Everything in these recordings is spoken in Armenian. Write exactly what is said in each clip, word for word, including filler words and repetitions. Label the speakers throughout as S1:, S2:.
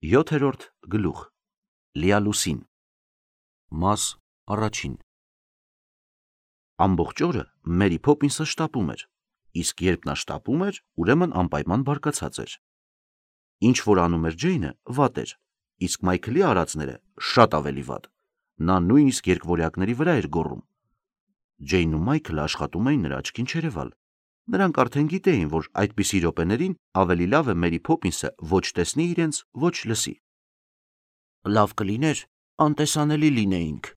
S1: Յոթերորդ գլուխ Լիալուսին Մաս առաջին Ամբողջ օրը Մերի Փոփինսը շտապում էր, իսկ երբ նա շտապում էր, ուրեմն անպայման բարկացած էր։ Ինչ որ անում էր Ջեյնը, վատ էր, իսկ Մայքլի արածները շատ ավելի վատ։ Նա նույնիսկ երկվորյակների վրա էր գոռում։ Ջեյնն ու Մայքլը աշխատում էին նրա աչքին չերևալ։ Նրանք արդեն գիտեին, որ այդպիսի րոպեներին ավելի լավ է Մերի Փոփինսը ոչ տեսնի իրենց, ոչ լսի։ Լավ կլիներ անտեսանելի լինեինք,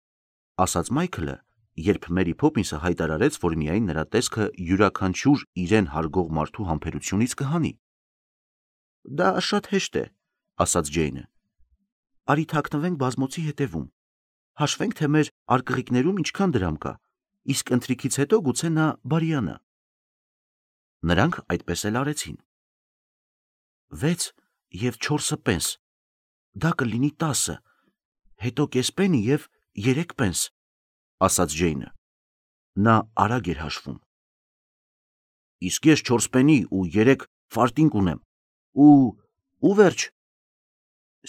S1: ասաց Մայքլը, երբ Մերի Փոփինսը հայտարարեց, որ միայն նրա տեսքը յուրաքանչյուր իրեն հարգող մարդու համբերությունից կհանի։ Դա շատ հեշտ է, ասաց Ջեյնը։ Արի թաքնվենք բազմոցի հետևում։ Հաշվենք, թե մեր արկղիկներում ինչքան դրամ կա, իսկ ընթրիքից հետո գուցե նա բարիանա։ Նրանք այդպես էլ արեցին։ Վեց և չորսը պենս, դա կլինի տասը, հետո կես պենի և երեք պենս, ասաց Ջեյնը։ Նա արագ էր հաշվում։ Իսկ ես չորս պենի ու երեք ֆարտինկ ունեմ, ու ու վերջ։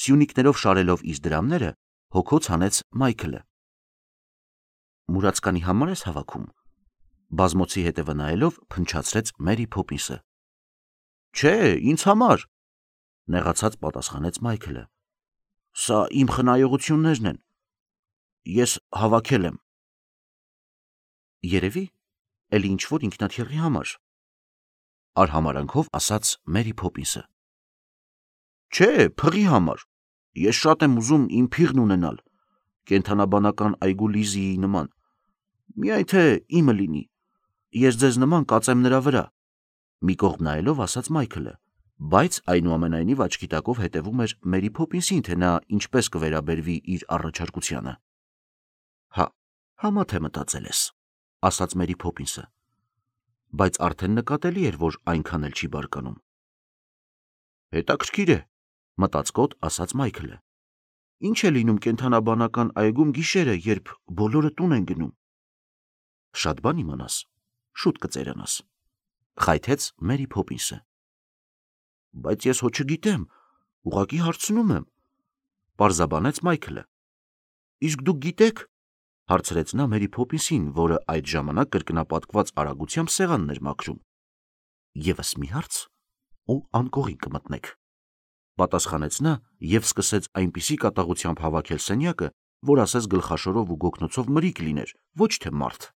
S1: Սյունիքներով շարելով իր դրամները, հոգոց հանեց Մայքլը։ Մուրացկանի համար ես հավաքում, բազմոցի հետևը նայելով փնչացրեց Մերի Փոփինսը։ Չէ, ինձ համար, նեղացած պատասխանեց Մայքլը։ Սա իմ խնայողություններն են։ Ես հավաքել եմ։ Երևի, էլի ինչ-որ ինքնաթիռի համար, արհամարանքով ասաց Մերի Փոփինսը։ Չէ, փղի համար։ Ես շատ եմ ուզում իմ փիղն ունենալ, կենդանաբանական այգու Լիզիի նման։ Միայն թե իմը լինի։ Ես ձեզ նման կածեմ նրա վրա, մի կողմ նայելով ասաց Մայքլը, բայց այնուամենայնիվ աչքի տակով հետևում էր Մերի Փոփինսին, թե նա ինչպես կվերաբերվի իր առաջարկությանը։ Հա, համա թե մտածել ես, ասաց Մերի Փոփինսը, բայց արդեն նկատելի էր, որ այնքան էլ չի բարկանում։ Հետաքրքիր է, մտածկոտ ասաց Մայքլը։ Ինչ է լինում կենդանաբանական այգում գիշերը, երբ բոլորը տուն են գնում։ Շատ բան իմանաս, շուտ կծերանաս, խայթեց Մերի Փոփինսը։ Բայց ես հո չգիտեմ, ուղղակի հարցնում եմ, պարզաբանեց Մայքլը։ Իսկ դուք գիտեք, հարցրեց նա Մերի Փոփինսին, որը այդ ժամանակ կրկնապատկված արագությամբ սեղանն էր մաքրում։ Եվս մի հարց, ու անկողին կմտնեք, պատասխանեց նա և սկսեց այնպիսի կատաղությամբ հավաքել սենյակը, որ ասես գլխաշորով ու գոգնոցով մրիկ լիներ, ոչ թե մարդ։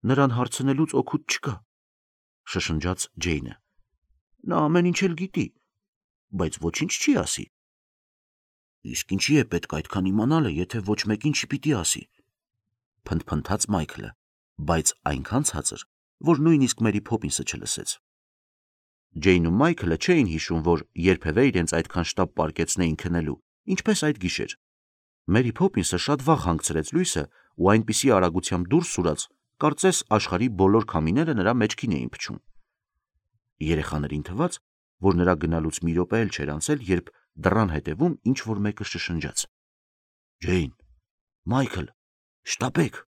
S1: Նրան հարցնելուց օգուտ չկա, շշնջաց Ջեյնը։ Նա ամեն ինչ էլ գիտի, բայց ոչինչ չի ասի։ Իսկ ինչի է պետք այդքան իմանալը, եթե ոչ մեկին չպիտի ասի, փնթփնթաց Մայքլը, բայց այնքան ցածր, որ նույնիսկ Մերի Փոփինսը չլսեց։ Ջեյնն ու Մայքլը չէին հիշում, որ երբևէ իրենց այդքան շտապ պարկեցնեին քնելու, ինչպես այդ գիշեր։ Մերի Փոփինսը շատ վաղ հանգցրեց լույսը ու այնպիսի արագությամբ դուրս սուրաց, կարծես աշխարհի բոլոր քամիները նրա մեջքին էին փչում։ Երեխաներին թվաց, որ նրա գնալուց մի րոպե էլ չէր անցել, երբ դռան հետևում ինչ-որ մեկը շշնջաց. Ջեյն, Մայքլ, շտապեք։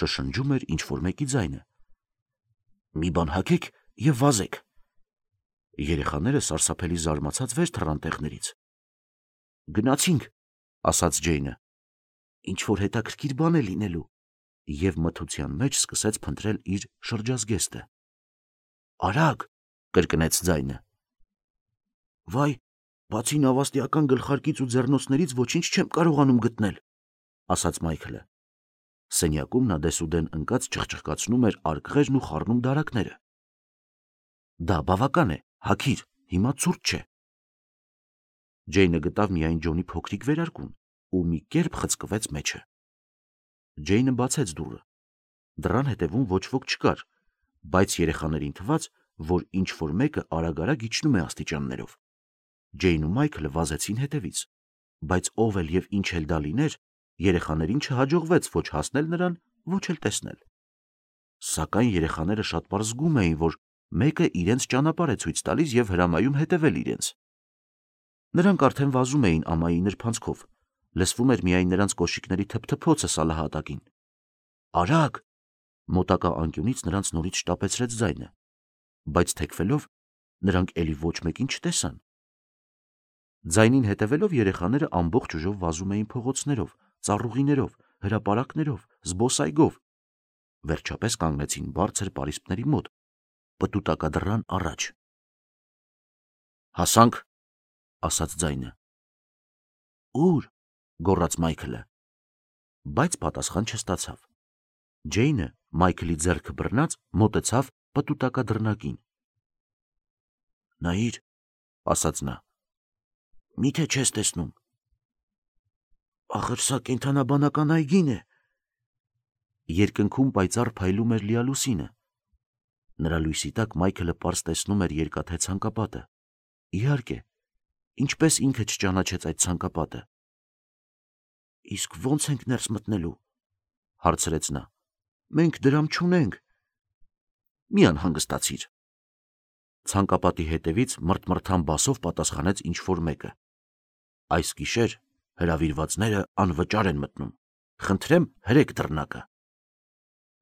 S1: Շշնջում էր ինչ-որ մեկի ձայնը։ Մի բան հագեք և վազեք։ Երեխաները սարսափելի զարմացած վեր թռան տեղներից։ Գնացինք, ասաց Ջեյնը։ Ինչ-որ հետաքրքիր բան է լինելու, և մթության մեջ սկսեց փնտրել իր շրջազգեստը։ Արագ, կրկնեց ձայնը։ Վայ, բացի նավաստիական գլխարկից ու ձեռնոցներից ոչինչ չեմ կարողանում գտնել, ասաց Մայքլը։ Սենյակում նա դեսուդեն ընկած չխչխկացնում էր արկղերն ու խառնում դարակները։ Դա բավական է, հագիր, հիմա ցուրտ չէ։ Ջեյնը գտավ միայն Ջոնի փոքրիկ վերարկուն ու մի կերպ խցկվեց մեջը։ Ջեյնը բացեց դուռը։ Դռան հետևում ոչ ոք չկար, բայց երեխաներին թվաց, որ ինչ-որ մեկը արագ-արագ իջնում է աստիճաններով։ Ջեյնն ու Մայքլը վազեցին հետևից, բայց ով էլ և ինչ էլ դա լիներ, երեխաներին չհաջողվեց ոչ հասնել նրան, ոչ էլ տեսնել։ Սակայն երեխաները շատ պարզ զգում էին, որ մեկը իրենց ճանապարհ է ցույց տալիս և հրամայում հետևել իրենց։ Նրանք արդեն վազում էին ամայի նրբանցքով, լսվում էր միայն նրանց կոշիկների թփթփոցը սալահատակին։ Արագ, մոտակա անկյունից նրանց նորից շտապեցրեց ձայնը, բայց թեքվելով նրանք էլի ոչ մեկին չտեսան։ Ձայնին հետևելով երեխաները ամբողջ ուժով վազում էին փողոցներով, ծառուղիներով, հրապարակներով, զբոսայգով, վերջապես կանգնեցին բարձր պարիսպների մոտ, պտուտակադրան առաջ։ «Հասանք», ասաց ձայնը։ «Ուր», գոռաց Մայքլը, բայց պատասխան չստացավ։ Ջեյնը, Մայքլի ձեռքը բռնած, մոտեցավ պտուտակադրնակին։ «Նայիր», ասաց նա, «միթե չես տեսնում»։ «Ախր սա կենդանաբանական այգին է»։ Երկնքում պայծառ փայլում էր լիալուսինը։ Նրա լույսի տակ Մայքլը պարզ տեսնում էր երկաթե ցանկապատը։ Իհարկե, ինչպես ինքը չճանաչեց այդ ցանկապատը։ «Իսկ ո՞նց ենք ներս մտնելու», հարցրեց նա։ «Մենք դրամ չունենք»։ «Մի անհանգստացիր»։ Ցանկապատի հետևից մռթմռթան բասով պատասխանեց ինչ-որ մեկը։ «Այս գիշեր հրավիրվածները անվճար են մտնում։ Խնդրեմ, հրեք դռնակը»։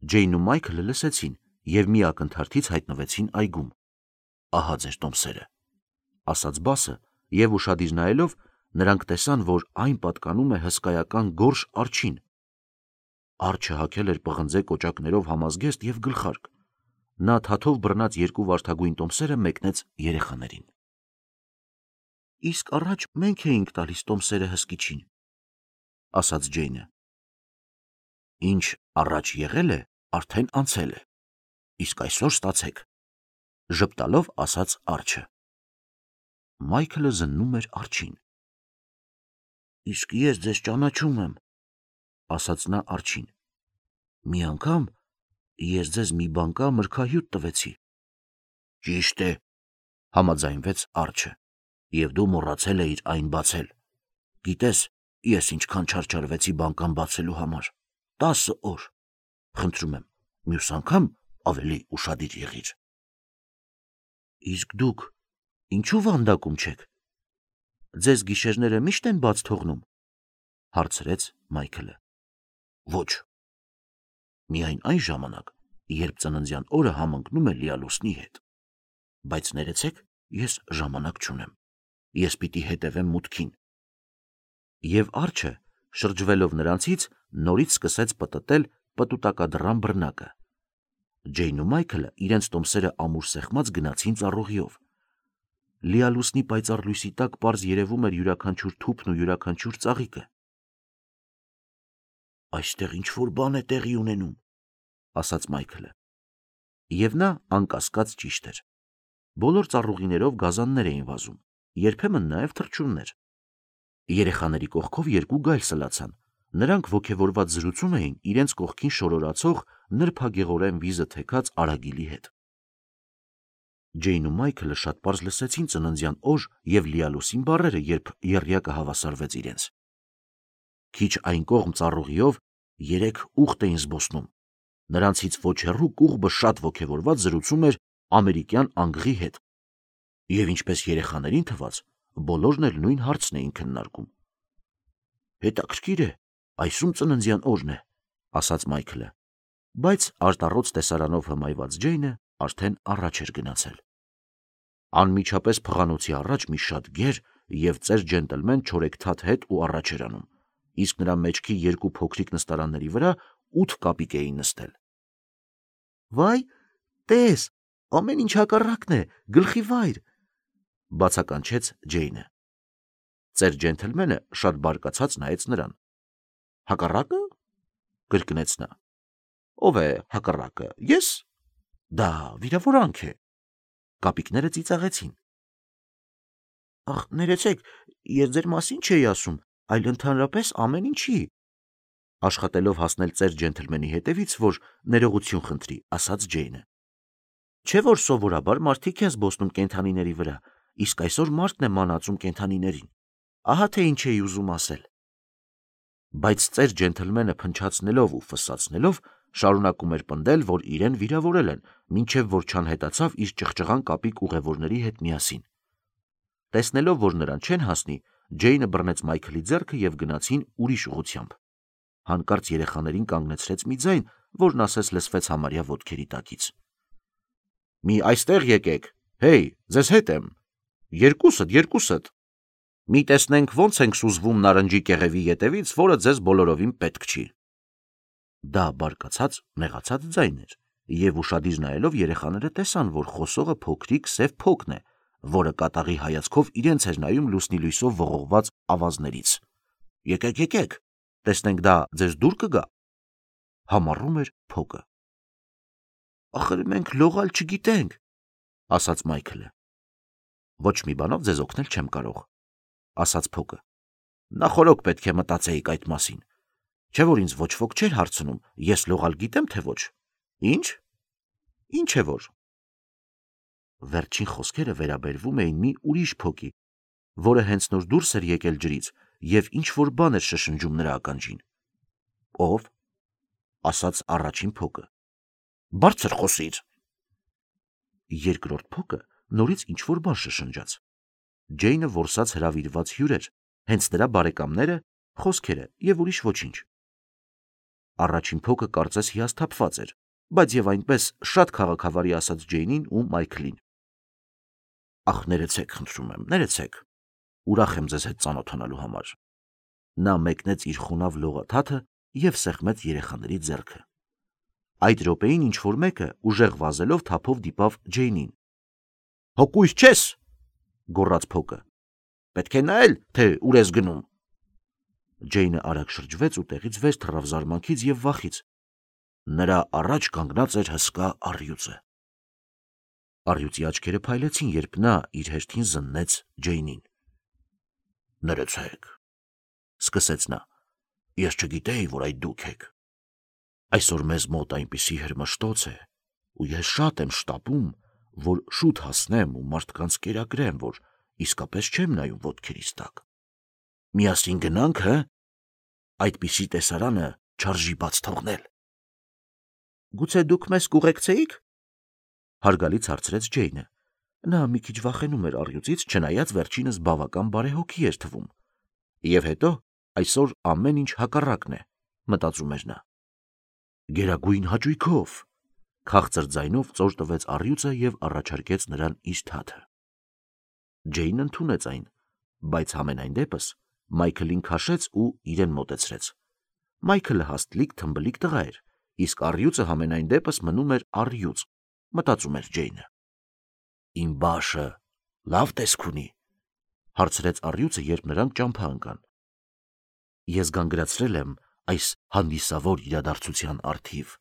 S1: Ջեյնն ու Մայքլը լսեցին և մի ակնթարթից հայտնվեցին այգում։ «Ահա ձեր տոմսերը», ասաց բասը, և ուշադիր նայելով նրանք տեսան, որ այն պատկանում է հսկայական գորշ արջին։ Արջը հագել էր պղնձե կոճակներով համազգեստ և գլխարկ։ Նա թաթով բռնած երկու վարդագույն տոմսերը մեկնեց երեխաներին։ «Իսկ առաջ մենք էինք տալիս տոմսերը հսկիչին», ասաց Ջեյնը։ «Ինչ առաջ եղել է, արդեն անցել է, իսկ այսօր ստացեք», ժպտալով ասաց արջը։ Մայքլը զննում էր արջին։ «Իսկ ես ձեզ ճանաչում եմ», ասաց նա արջին։ «Մի անգամ ես ձեզ մի բանկա մրգահյութ տվեցի»։ «Ճիշտ է», համաձայնվեց արջը, «և դու մոռացել էիր այն բացել։ Գիտես, ես ինչքան չարչարվեցի բանկան բացելու համար։ Տասը օր։ Խնդրում եմ, մյուս անգամ ավելի ուշադիր եղիր»։ «Իսկ դուք ինչու վանդակում չեք։ Ձեզ գիշերները միշտ են բաց թողնում», հարցրեց Մայքլը։ «Ոչ, միայն այն ժամանակ, երբ ծննդյան օրը համընկնում է լիալուսնի հետ։ Բայց ներեցեք, ես ժամանակ չունեմ։ Ես պիտի հետևեմ մուտքին»։ Եվ արջը, շրջվելով նրանցից, նորից սկսեց պտտել պտուտակադրան բռնակը։ Ջեյնն ու Մայքլը իրենց տոմսերը ամուր սեղմած գնացին ծառուղիով։ Լիալուսնի պայծառ լույսի տակ պարզ երևում էր յուրաքանչյուր թուփն ու յուրաքանչյուր ծաղիկը։ «Այստեղ ինչ-որ բան է տեղի ունենում», ասաց Մայքլը։ Եվ նա անկասկած ճիշտ էր։ Բոլոր ծառուղիներով գազաններ էին վազում, երբեմն նաև թռչուններ։ Երեխաների կողքով երկու գայլ սլացան։ Նրանք ոգևորված զրուցում էին իրենց կողքին շորորացող նրբագեղորեն վիզը թեքած արագիլի հետ։ Ջեյնն ու Մայքլը շատ պարզ լսեցին ծննդյան օր և լիալուսին բառերը, երբ եռյակը հավասարվեց իրենց։ Քիչ այն կողմ ծառուղիով երեք ուղտ էին զբոսնում։ Նրանցից ոչ հեռու կուղբը շատ ոգևորված զրուցում էր ամերիկյան անգղի հետ։ Եվ ինչպես երեխաներին թվաց, բոլորն էլ նույն հարցն էին քննարկում։ «Հետաքրքիր է, այսում ծննդյան օրն է», ասաց Մայքլը, բայց արտառոց տեսարանով հմայված Ջեյնը արդեն առաջ էր գնացել։ Անմիջապես փղանոցի առաջ մի շատ գեր և ծեր ջենտլմեն չորեքթաթ հետ ու առաջ էր անում, իսկ նրա մեջքի երկու փոքրիկ նստարանների վրա ութ կապիկ էին նստել։ «Վայ, տես, ամեն ինչ հակառակն է, գլխի վայր», բացականչեց Ջեյնը։ Ծեր ջենթլմենը շատ բարկացած նայեց նրան։ «Հակառակը», կրկնեց նա։ «Ով է հակառակը, ես։ Դա վիրավորանք է»։ Կապիկները ծիծաղեցին։ «Ախ, ներեցեք, ես ձեր մասին չէի ասում, այլ ընդհանրապես ամեն ինչի», աշխատելով հասնել ծեր ջենթլմենի հետևից, որ ներողություն խնդրի, ասաց Ջեյնը։ «Չէ՞ որ սովորաբար մարդիկ են զբոսնում կենդանիների վրա, իսկ այսօր մարդն է մանածում կենդանիներին։ Ահա թե ինչ էի ուզում ասել»։ Բայց ծեր ջենթլմենը փնչացնելով ու ֆսացնելով շարունակում էր պնդել, որ իրեն վիրավորել են, մինչև որ չանհետացավ իր ճղճղան կապիկ ուղևորների հետ միասին։ Տեսնելով, որ նրան չեն հասնի, Ջեյնը բռնեց Մայքլի ձեռքը և գնացին ուրիշ ուղղությամբ։ Հանկարծ երեխաներին կանգնեցրեց մի ձայն, որն ասես լսվեց համարյա ոտքերի տակից։ «Մի այստեղ եկեք, հեյ, ձեզ հետ եմ։ Երկուսդ, երկուսդ»։ Մի տեսնենք ոնց ենք սուզվում նարնջի կեղևի ետևից, որը ձեզ բոլորովին պետք չի։ Դա բարկացած, նեղացած ձայն էր, եւ ուշադիր նայելով երեխաները տեսան, որ խոսողը փոքրիկ սև փոքն է, որը կատաղի հայացքով իրենց էր նայում լուսնի լույսով ողողված ավազներից։ Եկեք, եկեք, տեսնենք դա ձեզ դուր կգա։ Համառում էր փոկը։ Ախր մենք լողալ չգիտենք, ասաց Մայքլը։ Ոչ մի բանով ձեզ օգնել չեմ կարող, ասաց փոկը։ Նախորոք պետք է մտածեիք այդ մասին։ Չէ՞ որ ինձ ոչ ոք չէր հարցնում, ես լողալ գիտեմ, թե ոչ։ Ինչ։ Ինչ է որ։ Վերջին խոսքերը վերաբերվում էին մի ուրիշ փոկի, որը հենց նոր դուրս էր եկել ջրից եւ ինչ որ բան էր շշնջում նրա ականջին։ Ով։ Ասաց առաջին փոկը։ Բարձր խոսիր։ Երկրորդ փոկը նորից ինչ որ բան շշնջաց։ Ջեյնը որսած հրավիրված հյուր էր, հենց նրա բարեկամները, խոսքերը եւ ուրիշ ոչինչ։ Առաջին փոկը կարծես հիասթափված էր, բայց եւ այնպես շատ քաղաքավարի ասաց Ջեյնին ու Մայքլին։ Ախ, ներեցեք, խնդրում եմ, ներեցեք։ Ուրախ եմ ձեզ հետ ծանոթանալու համար։ Նա մեկնեց իր խոնավ լողաթաթը եւ սեղմեց երեխաների ձեռքը։ Այդ րոպեին ինչ որ մեկը ուժեղ վազելով թափով դիպավ Ջեյնին։ Հոգույս չես, գոռաց փոկը։ Պետք է նայել, թե ուր ես գնում։ Ջեյնը արագ շրջվեց ու տեղից վեր թռավ զարմանքից եւ վախից։ Նրա առաջ կանգնած էր հսկա առյուծը։ Առյուծի աչքերը փայլեցին, երբ նա իր հերթին զննեց Ջեյնին։ Ներեցեք, սկսեց նա, ես չգիտեի, որ այդ դուք եք։ Այսօր մեզ մոտ այնպիսի հրմշտոց է, ու ես շատ եմ շտապում, որ շուտ հասնեմ ու մարդկանց կերակրեմ, որ իսկապես չեմ նայում ոտքերիս տակ։ Միասին գնանք, հը։ Այդպիսի տեսարանը չարժի բաց թողնել։ Գուցե դուք մեզ կուղեկցեիք։ Հարգալից հարցրեց Ջեյնը։ Նա մի քիչ վախենում էր առյուծից, չնայած վերջինս բավական բարեհոգի էր թվում։ Եվ հետո այսօր ամեն ինչ հակառակն է, մտածում էր նա։ Գերագույն հաճույքով, քաղցր ձայնով ծոր տվեց առյուծը եւ առաջարկեց նրան իր թաթը։ Ջեյնն ընդունեց այն, բայց համենայն դեպս Մայքլին քաշեց ու իրեն մոտեցրեց։ Մայքլը հաստլիկ թմբլիկ տղա էր, իսկ առյուծը համենայն դեպս մնում էր առյուծ, մտածում էր Ջեյնը։ Իմ բաշը լավ տեսք ունի, հարցրեց առյուծը, երբ նրանք ճամփա ընկան։ Ես գանգրացրել եմ այս հանդիսավոր իրադարձության առթիվ։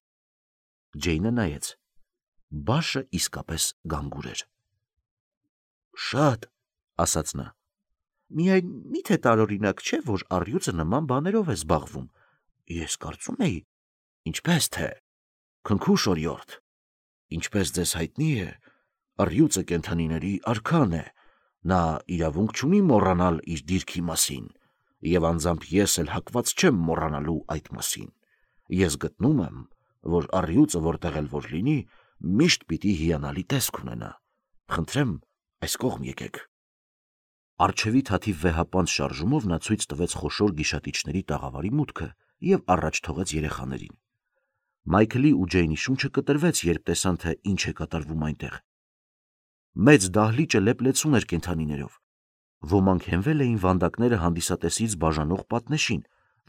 S1: Ջեյնը նայեց։ Բաշը իսկապես գանգուր էր։ Շատ, ասաց նա։ Միայն միթե տարօրինակ չէ, որ առյուծը նման բաներով է զբաղվում։ Ես կարծում էի, ինչպես թե, քնքուշ օրիորդ, ինչպես ձեզ հայտնի է, առյուծը կենդանիների արքան է, նա իրավունք չունի մոռանալ իր դիրքի մասին, եւ անձամբ ես էլ հակված չեմ մոռանալու այդ մասին։ Ես գտնում եմ, որ առյուծը որտեղ էլ որ լինի, միշտ պիտի հիանալի տեսք ունենա։ Խնդրեմ, այս կողմ եկեք։ Արջևի թաթի վեհապանց շարժումով նա ցույց տվեց խոշոր գիշատիչների տաղավարի մուտքը եւ առաջ թողեց երեխաներին։ Մայքլի ու Ջեյնի շունչը կտրվեց, երբ տեսան, թե ինչ է կատարվում այնտեղ։ Մեծ դահլիճը լեփլեցուն էր կենդանիներով։ Ոմանք հենվել էին վանդակները հանդիսատեսից բաժանող պատնեշին,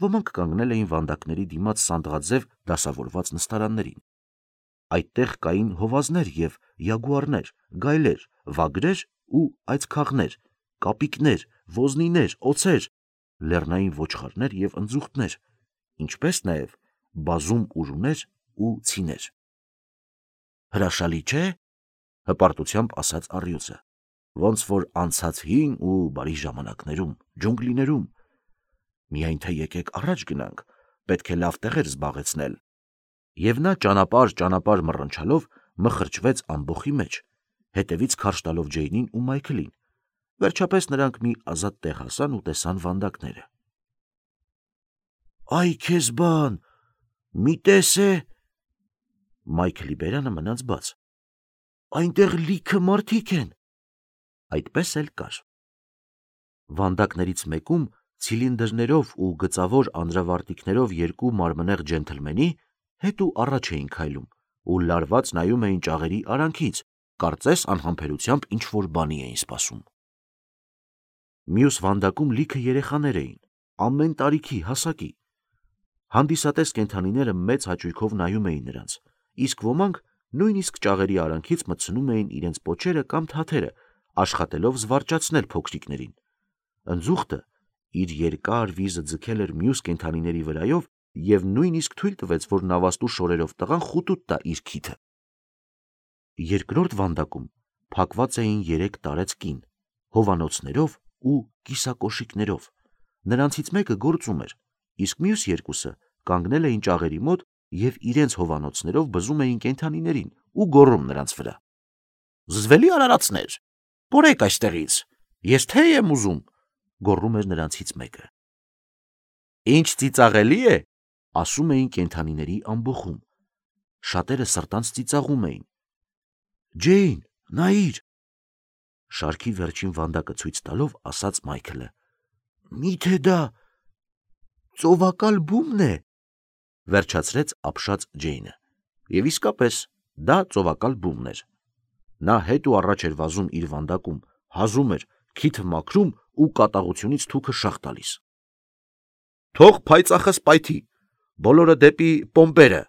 S1: ոմանք կանգնել էին վանդակների դիմաց սանդղաձև դասավորված նստարաններին։ Այդտեղ կային հովազներ եւ յագուարներ, գայլեր, վագրեր ու այծքաղներ, կապիկներ, ոզնիներ, օձեր, լեռնային ոչխարներ եւ ընձուղտներ, ինչպես նաեւ բազում ուժուներ ու ցիներ։ Հրաշալի չէ, հպարտությամբ ասաց առյուծը, ոնց որ անցած հին ու բարի ժամանակներում, ջունգլիներում։ Միայն թե եկեք առաջ գնանք, պետք է լավ տեղեր զբաղեցնել։ Եվ նա ճանապարհ ճանապարհ մռնչալով մխրճվեց ամբոխի մեջ, հետևից քարշ տալով Ջեյնին ու Մայքլին։ Վերջապես նրանք մի ազատ տեղ հասան ու տեսան վանդակները։ Այ քեզ բան, մի տես է։ Մայքլի բերանը մնաց բաց։ Այնտեղ լիքը մարդիկ են։ Այդպես էլ կար։ Վանդակներից մեկում ցիլինդրներով ու գծավոր անձրավարտիքներով երկու մարմնեղ ջենթլմենի հետ ու առաջ էին քայլում ու լարված նայում էին ճաղերի արանքից, կարծես անհամբերությամբ ինչ որ բանի էին սպասում։ Մյուս վանդակում լիքը երեխաներ էին, ամեն տարիքի, հասակի։ Հանդիսատես կենդանիները մեծ հաճույքով նայում էին նրանց, իսկ ոմանք նույնիսկ ճաղերի արանքից մտցնում էին իրենց պոչերը կամ թաթերը, աշխատելով զվարճացնել փոքրիկներին։ Ընձուղտը իր երկար վիզը ձգել էր մյուս կենդանիների վրայով և նույնիսկ թույլ տվեց, որ նավաստու շորերով տղան խուտուտ տա իր քիթը։ Երկրորդ վանդակում փակված էին երեք տարեց կին, հովանոցներով ու կիսակոշիկներով։ Նրանցից մեկը գործում էր, իսկ մյուս երկուսը կանգնել էին ճաղերի մոտ և իրենց հովանոցներով բզում էին կենդանիներին ու գոռում նրանց վրա։ «Զզվելի արարածներ, պորեք այստեղից, ես թեյ եմ ուզում», գոռում էր նրանցից մեկը։ «Ինչ ծիծաղելի է», ասում էին կենդանիների ամբոխում։ Շատերը սրտանց ծիծաղում էին։ «Ջեյն, նայիր», շարքի վերջին վանդակը ցույց տալով ասաց Մայքլը։ «Մի՞թե դա ծովակալ բումն է», վերջացրեց ապշած Ջեյնը։ Եվ իսկապես դա ծովակալ բումն էր։ Նա հետ ու առաջ էր վազում իր վանդակում, հազում էր, քիթը մաքրում ու կատաղությունից թուքը շաղ տալիս։ «Թող փայծախս պայթի, բոլորը դեպի պոմպերը,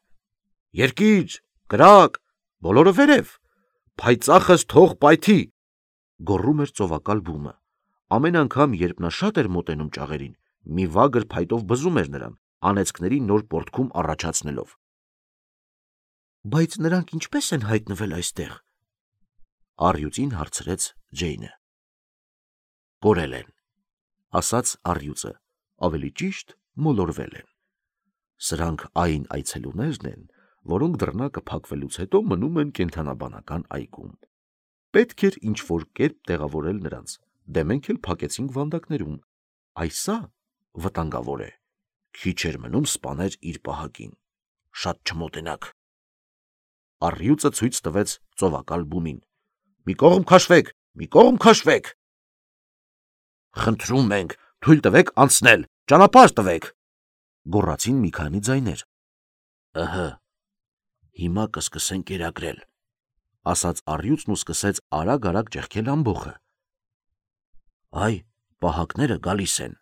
S1: երկիր, կրակ, բոլորը վերև, փայծախս թող պայթի», գոռում էր ծովակալ բումը։ Ամեն անգամ, երբ նա շատ էր մոտենում ճաղերին, մի վագր փայտով բզում էր նրան, անեծքների նոր պոռթկում առաջացնելով։ «Բայց նրանք ինչպե՞ս են հայտնվել այստեղ», առյուծին հարցրեց Ջեյնը։ «Կորել են», ասաց առյուծը, ավելի ճիշտ մոլորվել են։ Սրանք այն այցելուներն են, որոնք դռնակը փակվելուց հետո մնում են կենդանաբանական այգում։ Պետք էր ինչ-որ կերպ տեղավորել նրանց, դե մենք էլ փակեցինք վանդակներում։ Այսա վտանգավոր է։ Քիչ էր մնում սպաներ իր պահակին։ Շատ չմոտենաք։ Առյուծը ցույց տվեց ծովակալ բումին։ «Մի կողմ քաշվեք, մի կողմ քաշվեք»։ «Խնդրում ենք, թույլ տվեք անցնել, ճանապարհ տվեք», գոռացին մի քանի ձայներ։ «Ըհը, հիմա կսկսեն կերակրել», ասաց առյուծն ու սկսեց արագ-արագ ճեղքել ամբոխը։ «Այ, պահակները գալիս են»։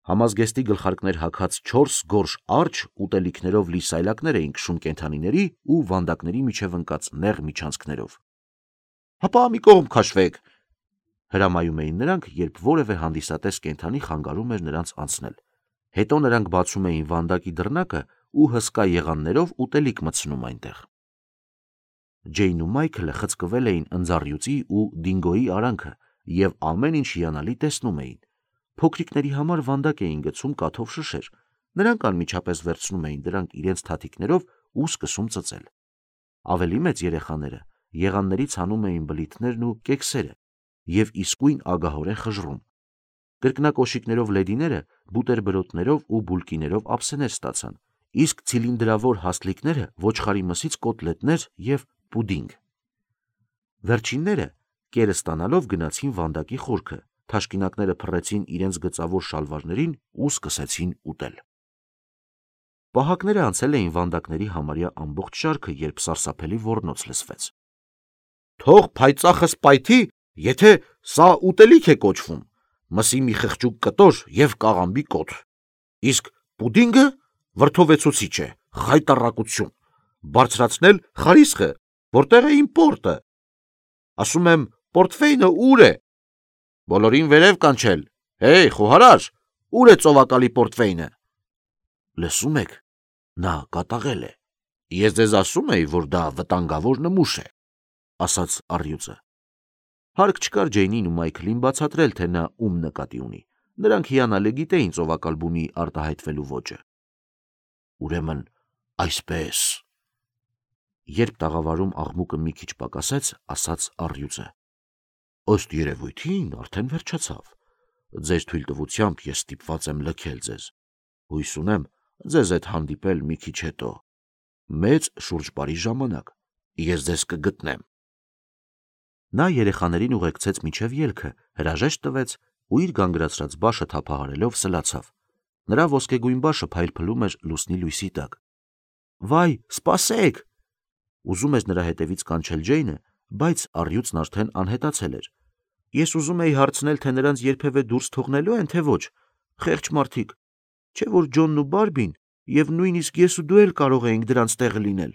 S1: Համազգեստի գլխարկներ հագած չորս գորշ արջ ուտելիքներով լի սայլակներ էին քշում կենդանիների ու վանդակների միջև ընկած նեղ միջանցքներով։ «Հապա մի կողմ քաշվեք», հրամայում էին նրանք, երբ որևէ հանդիսատես կենդանի խանգարում էր նրանց անցնել։ Հետո նրանք բացում էին վանդակի դռնակը ու հսկա եղաններով ուտելիք մտցնում այնտեղ։ Ջեյնն ու Մայքլը խցկվել էին ընձառյուծի ու Դինգոյի արանքը և ամեն ինչ հիանալի տեսնում էին։ Փոքրիկների համար վանդակ էին գցում կաթով շշեր, նրանք անմիջապես վերցնում էին դրանք իրենց թաթիկներով ու սկսում ծծել։ Ավելի մեծ երեխաները եղաններից հանում էին բլիթներն ու կեքսերը և իսկույն ագահորեն խժռում։ Կրկնակոշիկներով լեդիները բուտերբրոդներով ու բուլկիներով ափսեներ ստացան, իսկ ցիլինդրավոր հասլիկները ոչխարի մսից կոտլետներ և պուդինգ։ Վերջինները կերը ստանալով գնացին վանդակի խորքը, թաշկինակները փռեցին իրենց գծավոր շալվարներին ու սկսեցին ուտել։ Պահակները անցել էին վանդակների համարյա ամբողջ շարքը, երբ սարսափելի ոռնոց լսվեց։ «Թող փայծախս պայթի, եթե սա ուտելիք է կոչվում, մսի մի խղճուկ կտոր և կաղամբի կոթ, իսկ պուդինգը վրդովեցուցիչ է, խայտառակություն, բարձրացնել խարիսխը, որտեղ է իմ պորտը, ասում եմ, պորտֆեյնը ուր է, բոլորին վերև կանչել, հեյ, խոհարար, ուր է ծովակալի պորտֆեյնը»։ Լսում եք, նա կատաղել է։ Ես ձեզ ասում էի, որ դա վտանգավոր նմուշ է, ասաց առյուծը։ Հարկ չկար Ջեյնին ու Մայքլին բացատրել, թե նա ում նկատի ունի։ Նրանք հիանալի գիտեին ծովակալ բումի արտահայտվելու ոճը։ Ուրեմն այսպես։ Երբ տաղավարում աղմուկը մի քիչ պակասեց, ասաց առյուծը. «Ըստ երևույթին արդեն վերջացավ։ Ձեր թույլտվությամբ ես ստիպված եմ լքել ձեզ։ Հույս ունեմ ձեզ հետ հանդիպել մի քիչ հետո։ Մեծ շուրջպարի ժամանակ ես ձեզ կգտնեմ»։ Նա երեխաներին ուղեկցեց մինչև ելքը, հրաժեշտ տվեց ու իր գանգրացրած բաշը թափահարելով սլացավ։ Նրա ոսկեգույն բաշը փայլփլում էր լուսնի լույսի տակ։ «Վայ, սպասեք», ուզում էր նրա հետևից կանչել Ջեյնը, բայց առյուծն արդեն անհետացել էր։ Ես ուզում էի հարցնել, թե նրանց երբևէ դուրս թողնելու են, թե ոչ։ Խեղճ մարդիկ, չէ՞ որ Ջոնն ու Բարբին, և նույնիսկ ես ու դու էլ կարող էինք դրանց տեղը լինել։